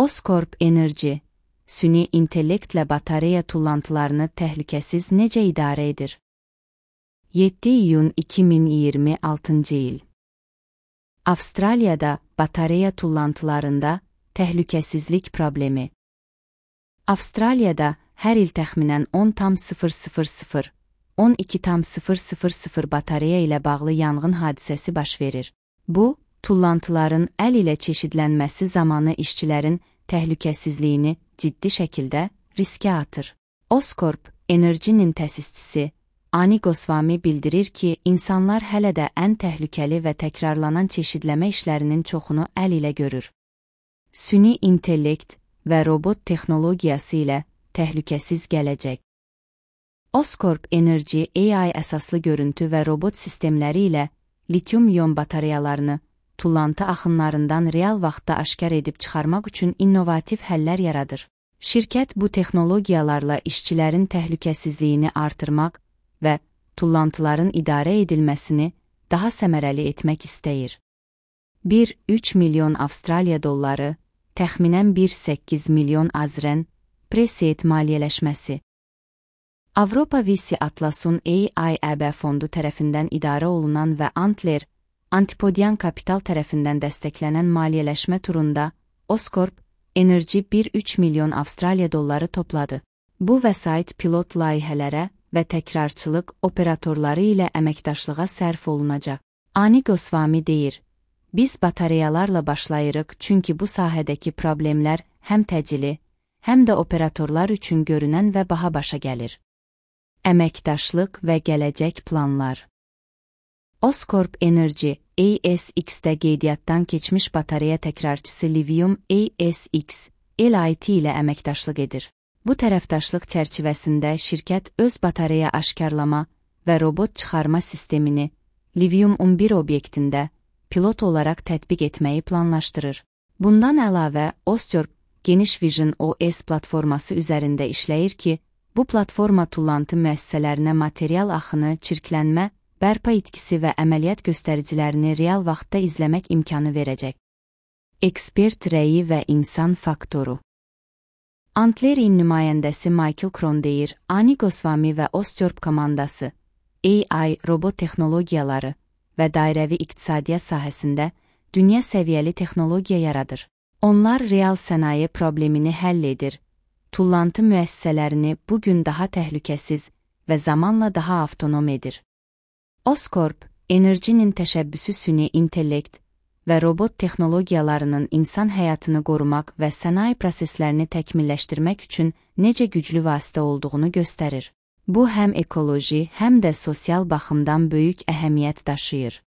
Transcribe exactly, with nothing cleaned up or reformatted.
Oscorp Energy, süni intellektlə batareya tullantılarını təhlükəsiz necə idarə edir? yeddi iyun iki min iyirmi altıncı il. Avstraliyada batareya tullantılarında təhlükəsizlik problemi. Avstraliyada hər il təxminən on tam sıfır sıfır sıfır - on iki tam sıfır sıfır sıfır batareya ilə bağlı yanğın hadisəsi baş verir. Bu, tullantıların əl ilə çeşidlənməsi zamanı işçilərin təhlükəsizliyini ciddi şəkildə riskə atır. Oscorp Energy-nin təsisçisi Ani Goswami bildirir ki, insanlar hələ də ən təhlükəli və təkrarlanan çeşidləmə işlərinin çoxunu əl ilə görür. Süni intellekt və robot texnologiyası ilə təhlükəsiz gələcək. Oscorp Energy A I əsaslı görüntü və robot sistemləri ilə litium-ion batareyalarını tullantı axınlarından real vaxtda aşkar edib çıxarmaq üçün innovativ həllər yaradır. Şirkət bu texnologiyalarla işçilərin təhlükəsizliyini artırmaq və tullantıların idarə edilməsini daha səmərəli etmək istəyir. bir nöqtə üç milyon Avstraliya dolları, təxminən bir nöqtə səkkiz milyon azren, Preseed maliyyələşməsi. Avropa Visi Atlasun A I E B fondu tərəfindən idarə olunan və Antler, Antipodian Kapital tərəfindən dəstəklənən maliyyələşmə turunda Oscorp Energy bir nöqtə üç milyon Avstraliya dolları topladı. Bu vəsait pilot layihələrə və təkrarçılıq operatorları ilə əməkdaşlığa sərf olunacaq. Ani Goswami deyir, biz batareyalarla başlayırıq çünki bu sahədəki problemlər həm təcili, həm də operatorlar üçün görünən və baha başa gəlir. Əməkdaşlıq və gələcək planlar. Oscorp Energy A S X-də qeydiyyatdan keçmiş batareya təkrarçısı Livium A S X L I T ilə əməkdaşlıq edir. Bu tərəfdaşlıq çərçivəsində şirkət öz batareya aşkarlama və robot çıxarma sistemini Livium on bir obyektində pilot olaraq tətbiq etməyi planlaşdırır. Bundan əlavə, Oscorp Geniş Vision O S platforması üzərində işləyir ki, bu platforma tullantı müəssisələrinə material axını, çirklənmə, bərpa itkisi və əməliyyat göstəricilərini real vaxtda izləmək imkanı verəcək. Ekspert rəyi və insan faktoru. Antlerin nümayəndəsi Michael Cron deyir, Ani Goswami və Oscorp komandası A I, robot texnologiyaları və dairəvi iqtisadiyyat sahəsində dünya səviyyəli texnologiya yaradır. Onlar real sənaye problemini həll edir, tullantı müəssisələrini bugün daha təhlükəsiz və zamanla daha avtonom edir. Oscorp Energy-nin təşəbbüsü süni intellekt və robot texnologiyalarının insan həyatını qorumaq və sənaye proseslərini təkmilləşdirmək üçün necə güclü vasitə olduğunu göstərir. Bu həm ekoloji, həm də sosial baxımdan böyük əhəmiyyət daşıyır.